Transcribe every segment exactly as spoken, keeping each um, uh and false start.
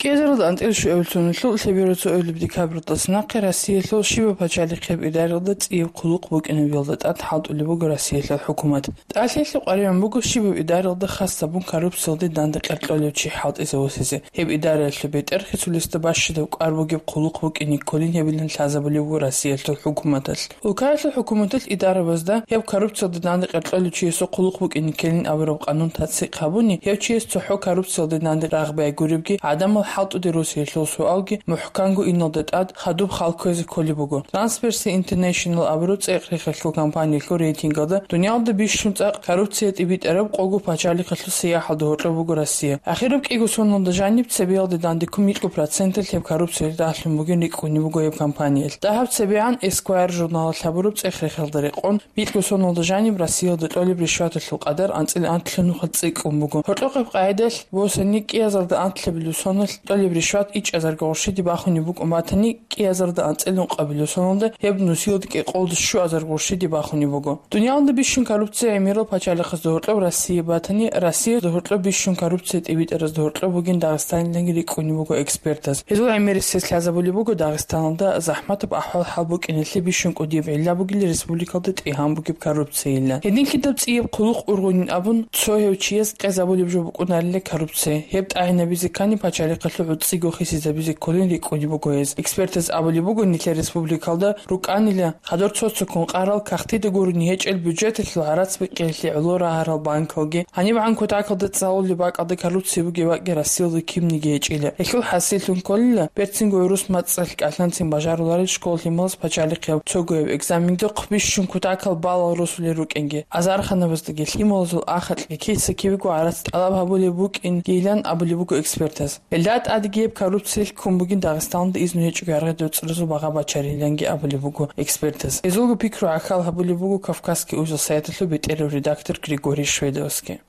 Эзаралда анцӀила щуабилеб соналъул лъеберго цоабилеб декабралдаса нахъе Россиялъул щибаб пачалихъияб идаралда цӀияб хъулухъ букӀинабиялда тӀад хӀалтӀулеб буго Россиялъул хӀукумат. ТӀалъиялъе къваригӀун буго щибаб идаралда хас гьабун коррупциялде данде къеркьолев чи хӀалтӀизавусизе. Гьеб идараялъул бетӀергьесулесда бащадаб кӀвар бугеб хъулухъ букӀине кколин гьебилан лъазабулеб буго Россиялъул хӀукуматалъ. Улкаялъул хӀукуматалъ идарабазда гьеб коррупциялде данде къеркьолев чиясул хъулухъ букӀине ккелин абураб къанун тасдикъ гьабуни, гьев чияс цохӀо коррупциялде данде рагъ бегьулебги гӀадамал хӀалтӀуде росиялъул суалги мухӀканго иналда тӀад хадуб хал кквезе кколеб буго. Transparency International абураб цӀекъ-рехелъул компаниялъул рейтингалда дуниялда бищун цӀакъ коррупция тӀибитӀараб къого пачалихъалъул сияхӀалда гьоркьоб буго Россия. Ахираб кӀиго соналда жаниб цебеялде данде ккун микьго проценталъ гьеб коррупциялъ рагьлъун бугин рикӀкӀунеб буго гьеб компаниялъ. Дагьаб цебегӀан Esquire журналалъ гьабураб цӀех-рехелда рекъон, микьго соналда жаниб Россиялда кьолеб ришваталъул къадар анцӀила анлъабилеб нухалъ цӀикӀкӀун буго. Гьоркьохъеб къагӀидалъ босани кӀиязарда анлъабилеб соналъ кьолеб ришват ичӀазарго гъурщиде бахунеб букӀун батани, кӀиязарда анцӀила ункъабилеб соналда гьеб нусиялда кӀикъоялда щуазарго гъурщиде бахунеб буго. Дуниялда бищун коррупция гӀемерал пачалихъазда гьоркьоб Россия батани, Россиялда гьоркьоб бищун коррупция тӀибитӀаразда гьоркьоб бугин Дагъистаниланги рикӀкӀунеб буго экспертаз. Гьезул гӀемерисез лъазабулеб буго Дагъистаналда захӀматаб ахӀвал-хӀал букӀиналъе бищун кӀудияб гӀилла бугила республикалда тӀегьан бугеб коррупциялъ. Гьединлъидал цӀияб хъулухъ ургъунин абун, цо гьев чияс къезабулеб жо букӀунарила коррупция. Гьеб тӀагӀинабизе ккани пачалихъалъул гӀуцӀиго хисизабизе кколин рикӀкӀунеб буго гьез. Экспертаз абулеб буго, нилъер республикалда рукӀанила хадур цо-цоккун къарал, кагътида гурони гьечӀел, бюджеталъул гӀарац бикъиялъе гӀоло рагьарал банкалги. ГьанибгӀан кутакалда цӀалулеб бакӀалда коррупция бугеб бакӀги Россиялда кибниги гьечӀила. Гьелъул хӀасиллъун кколила, берцинго гӀурус мацӀалъ кӀалъанцин бажаруларел школ лъималаз пачалихъияб цогояб экзамендухъ бищун кутакал балал росулел рукӀинги, азарханабаздаги лъималазул ахалъги киса-кибего гӀарац тӀалаб гьабулеб букӀингийилан абулеб буго экспертаз. Гьелда тӀадеги гьеб коррупциялъ ккун бугин Дагъистаналда изну гьечӀого гӀаргъи доцӀразул багъа бачариланги абулеб буго экспертаз. Гьезулго пикру гӀахьал гьабулеб буго Кавказский узел сайталъул бетӀерав редактор Григорий Шведовский.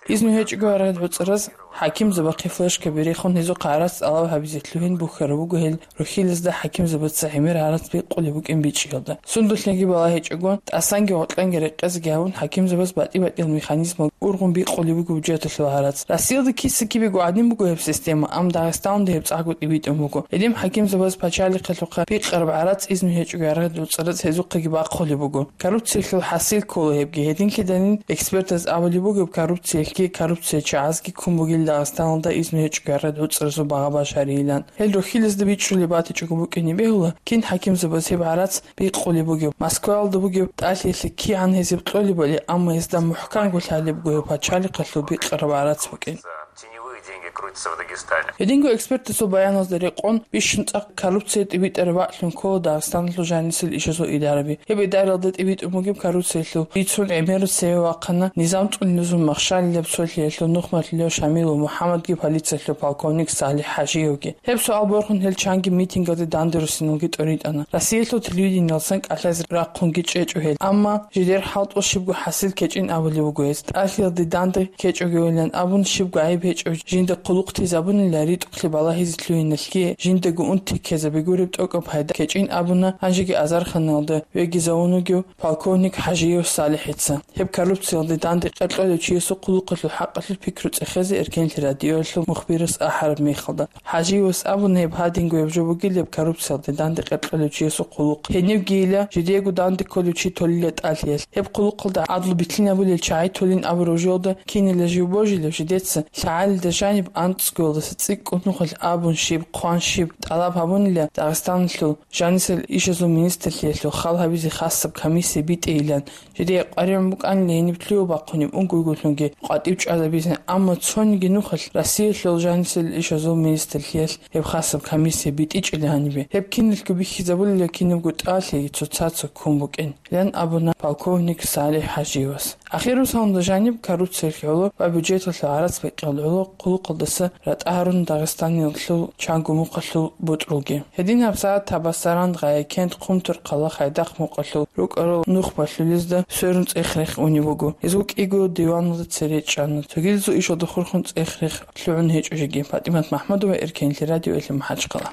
Изну гьечӀого гӀаргъи доцӀраз хӀакимзабахъе флешкаби рехун, гьезухъ гӀарац тӀалаб гьабизе лъугьин бухьараб буго гьел рухьилазда хӀакимзабаца гӀемер гӀарац бикъулеб букӀин бичӀчӀиялда. Сундулъеги балагьичӀого, тӀасанги гъоркьанги рекъезеги гьавун, хӀакимзабаз батӀи-батӀиял механизмал ургъун бикъулеб буго бюджеталъул гӀарац. Россиялда киса-кибего гӀадин буго гьеб система, амма Дагъистаналда гьеб цӀакъго тӀибитӀун буго. Гьедин хӀакимзабаз пачалихъалъухъа бикъараб гӀарац изну гьечӀого гӀаргъи доцӀраз гьезухъеги бахъулеб буго. Коррупциялъул хӀасил ккола гьебги. Гьединлъидалин экспертаз абулеб бугеб, коррупциялъги коррупциячагӀазги ккун бугел Дагъистаналда изну гьечӀого гӀаргъи доцӀразул багъа башарийилан. Гьел рухьилазда бичӀчӀулеб батичӀого букӀине бегьула, кин хӀакимзабаз гьеб гӀарац бикъулеб бугеб, Москваялда бугеб тӀалъиялъе кигӀан гьезиб кьолебали, амма гьезда мухӀканго лъалеб буго гьеб пачалихъалъул бикъараб гӀарац букӀин. Гьединго экспертасул баяназда рекъон, бищун цӀакъ коррупция тӀибитӀараб бакӀлъун ккола Дагъистаналъул жанисел ишазул идараби. Гьеб идаралда тӀибитӀун бугеб коррупциялъул бицун гӀемерал цеве вахъана низам цӀунилезул махщалилаб цолъиялъул нухмалъулев Шамилов МухӀаммадги полициялъул полковник Салих ХӀажиевги. Гьеб суал борхун гьел чанги митингалде данде руссиналги тӀоритӀана. Россиялъул телевидениялдасан кӀалъазе рахъунги чӀечӀо гьел. Амма жидер хӀалтӀул щибго хӀасил ккечӀин абулеб буго гьез. ТӀалъиялде данде ккечӀогейилан абун, щибго гӀайиб гьечӀев жинда хъулухъ тезабунила ритӀухълъи балагьизе лъугьиналъги, жиндаго унти ккезаби гуреб тӀокӀаб пайда ккечӀин абуна гьанжеги азарханалда вегизавун вугев полковник ХӀажиев Салихица. Гьеб коррупциялде данде къеркьолев чиясул хъулухъалъул хӀакъалъулъ пикру цӀехезе Эркенлъи радиоялъул мухбирас ахӀараб мехалда, ХӀажиевас абуна гьеб гьадинго гьеб жо бугилеб коррупциялде данде къеркьолев чиясул хъулухъ. Гьенибгийила жидего данде кколев чи толила тӀалъиялъ. Гьеб хъулухъалда гӀадлу билъинабулел чагӀи толин абураб жоялда кинила жив божилев жидеца лъагӀалида жаниб анцӀгоялдаса цӀикӀкӀун нухалъ абун щиб, хъван щиб тӀалаб гьабунила Дагъистаналъул жанисел ишазул министрлъиялъул хал гьабизе хасаб комиссия битӀейилан. Жидее къваригӀун букӀанила гьениб лъугьа-бахъунеб унгойгулъунги къватӀив чӀвазабизе, амма цониги нухалъ Россиялъул жанисел ишазул министрлъиялъ гьеб хасаб комиссия битӀичӀила гьанибе. Гьеб киналго бихьизабулила кинабго тӀалъи цоцаца ккун букӀин, ян абуна полковник Салих ХӀажиевас. Ахирусалда жаниб коррупциялъ гӀоло ва бюджеталъул гӀарац бекьал гӀоло хъулухъалдаса ратӀа гьарун Дагъистаниялъул чанго мухъалъул бутӀрулги. Гьедин гьабсагӀат Табасаран, Гъаякент, Хъумторхъала, Хайдахъ мукъалъул рукӀарал нухбалъулезда сверун цӀех-рех унеб буго. Гьезул кӀиго диваналда цере чӀана. Цогидазул ишалда хурхун цӀех-рех лъугӀун гьечӀо жеги. ПатӀимат МахӀмудова, Эркенлъи радиоялъе МахӀачхъала.